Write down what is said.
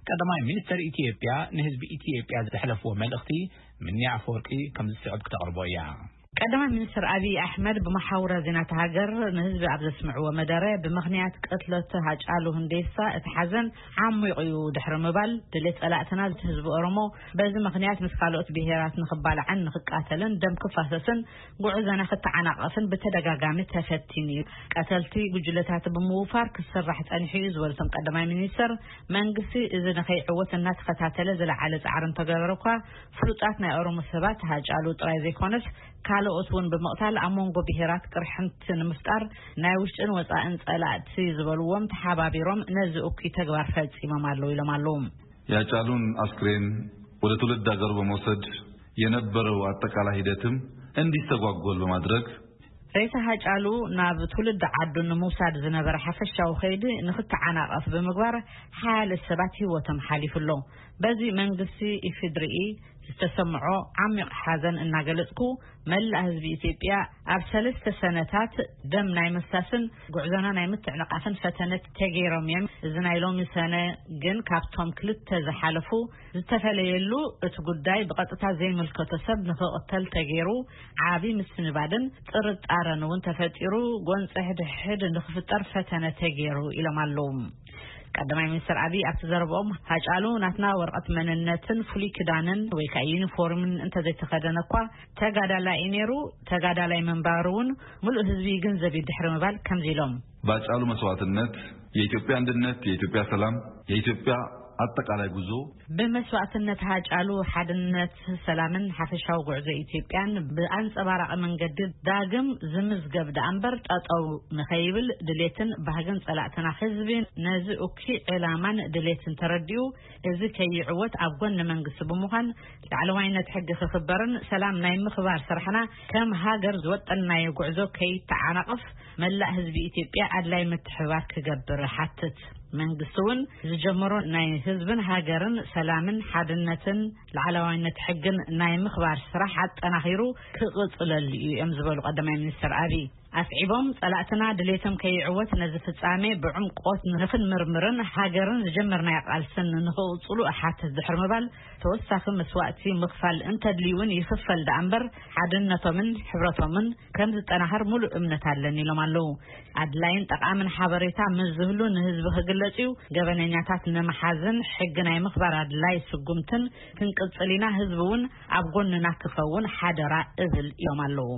ቀዳማይ ሚኒስተር ኢትዮጵያ ንህዝቢ ኢትዮጵያ ዘሕለፍዎ መልእኽቲ ምንያ ኣፈወርቂ ከም ዝስዕብ ክተቕርቦ እያ። ቀዳማይ ሚኒስትር ኣብይ ኣሕመድ ብመሓውራ ዜናት ሃገር ንህዝቢ ኣብ ዘስምዕዎ መደረ፣ ብምኽንያት ቅትለት ሃጫሉ ሁንዴሳ እቲ ሓዘን ዓሚቑ እዩ ድሕሪ ምባል፣ ድሌት ጸላእትና ህዝቢ ኦሮሞ በዚ ምኽንያት ምስ ካልኦት ብሄራት ንኽባላዕን ንኽቃተልን ደም ክፋሰስን ጉዕዞና ክተዓናቐፍን ብተደጋጋሚ ተፈቲኑ እዩ። ቀተልቲ ጉጅለታት ብምውፋር ክስራሕ ጸኒሑ እዩ ዝበሉ እቶም ቀዳማይ ሚኒስትር፣ መንግስቲ እዚ ንኸይዕወት እናተኸታተለ ዝለዓለ ጻዕሪ እንተገበረ እኳ፣ ፍሉጣት ናይ ኦሮሞ ሰባት ሃጫሉ ጥራይ ዘይኮነስ ካልኦት እውን ብምቕታል ኣብ መንጎ ብሄራት ቅርሕንቲ ንምፍጣር ናይ ውሽጥን ወጻእን ጸላእቲ ዝበልዎም ተሓባቢሮም ነዚ እኩይ ተግባር ፈጺሞም ኣለዉ ኢሎም ኣለዉ። የሃጫሉን አስክሬን ወደ ትውልድ ሀገሩ በመውሰድ የነበረው አጠቃላይ ሂደትም እንዲስተጓጎል በማድረግ፣ ሬሳ ሃጫሉ ናብ ትውልድ ዓዱ ንምውሳድ ዝነበረ ሓፈሻዊ ከይዲ ንክተዓናቐፍ ብምግባር ሓያለ ሰባት ህይወቶም ሓሊፉ ኣሎ። በዚ መንግስቲ ኢፌድሪኢ ዝተሰምዖ ዓሚቕ ሓዘን እናገለጽኩ፣ መላእ ህዝቢ ኢትዮጵያ ኣብ ሰለስተ ሰነታት ደም ናይ ምፍሳስን ጉዕዞና ናይ ምትዕንቓፍን ፈተነት ተገይሮም እዮም። እዚ ናይ ሎሚ ሰነ ግን ካብቶም ክልተ ዝሓለፉ ዝተፈለየሉ፣ እቲ ጉዳይ ብቐጥታ ዘይምልከቶ ሰብ ንኽቕተል ተገይሩ፣ ዓቢ ምስንባድን ጥርጣረን እውን ተፈጢሩ፣ ጎንፂ ሕድሕድ ንኽፍጠር ፈተነ ተገይሩ ኢሎም ኣለዉ። ቀዳማይ ሚኒስትር ኣብይ ኣብቲ ዘረብኦም፣ ሃጫሉ ናትና ወረቐት መንነትን ፍሉይ ክዳንን ወይ ከዓ ዩኒፎርምን እንተዘይተኸደነ እኳ ተጋዳላይ እዩ ነይሩ፣ ተጋዳላይ ምንባሩ እውን ምሉእ ህዝቢ ይግንዘብ እዩ ድሕሪ ምባል ከምዚ ኢሎም። በሃጫሉ መስዋዕትነት የኢትዮጵያ አንድነት፣ የኢትዮጵያ ሰላም፣ የኢትዮጵያ አጠቃላይ ጉዞ። ብመስዋዕትነት ሃጫሉ ሓድነት፣ ሰላምን ሓፈሻዊ ጉዕዞ ኢትዮጵያን ብኣንጸባራቒ መንገዲ ዳግም ዝምዝገብ ደኣ እምበር ጠጠው ንኸይብል ድሌትን ባህግን ጸላእትና ህዝቢ ነዚ እኩይ ዕላማን ድሌትን ተረዲኡ፣ እዚ ከይዕወት ኣብ ጎኒ መንግስቲ ብምዃን ላዕለዋይነት ሕጊ ክኽበርን ሰላም ናይ ምኽባር ስራሕና ከም ሃገር ዝወጠንናዮ ጉዕዞ ከይተዓናቕፍ መላእ ህዝቢ ኢትዮጵያ ኣድላይ ምትሕብባር ክገብር ሓትት። መንግስቲ እውን ዝጀመሮ ናይ ህዝብን ሃገርን ሰላምን ሓድነትን ላዕለዋይነት ሕግን ናይ ምኽባር ስራሕ ኣጠናኺሩ ክቕፅለሉ እዩ እዮም ዝበሉ ቀዳማይ ሚኒስትር ኣብይ ኣስዒቦም፣ ጸላእትና ድሌቶም ከይዕወት ነዚ ፍጻሜ ብዕምቆት ንኽንምርምርን ሃገርን ዝጀመርናዮ ቃልስን ንኽቕጽሉ እሓትት ድሕሪ ምባል፣ ተወሳኺ መስዋእቲ ምኽፋል እንተድልዩ እውን ይኽፈል ደኣ እምበር ሓድነቶምን ሕብረቶምን ከም ዝጠናኸር ሙሉእ እምነት ኣለኒ ኢሎም ኣለዉ። ኣድላይን ጠቓምን ሓበሬታ ምስ ዝህሉ ንህዝቢ ክግለጽ እዩ። ገበነኛታት ንምሓዝን ሕጊ ናይ ምኽባር ኣድላይ ስጉምትን ክንቅጽል ኢና። ህዝቢ እውን ኣብ ጎንና ክኸውን ሓደራ እብል ኢሎም ኣለዉ።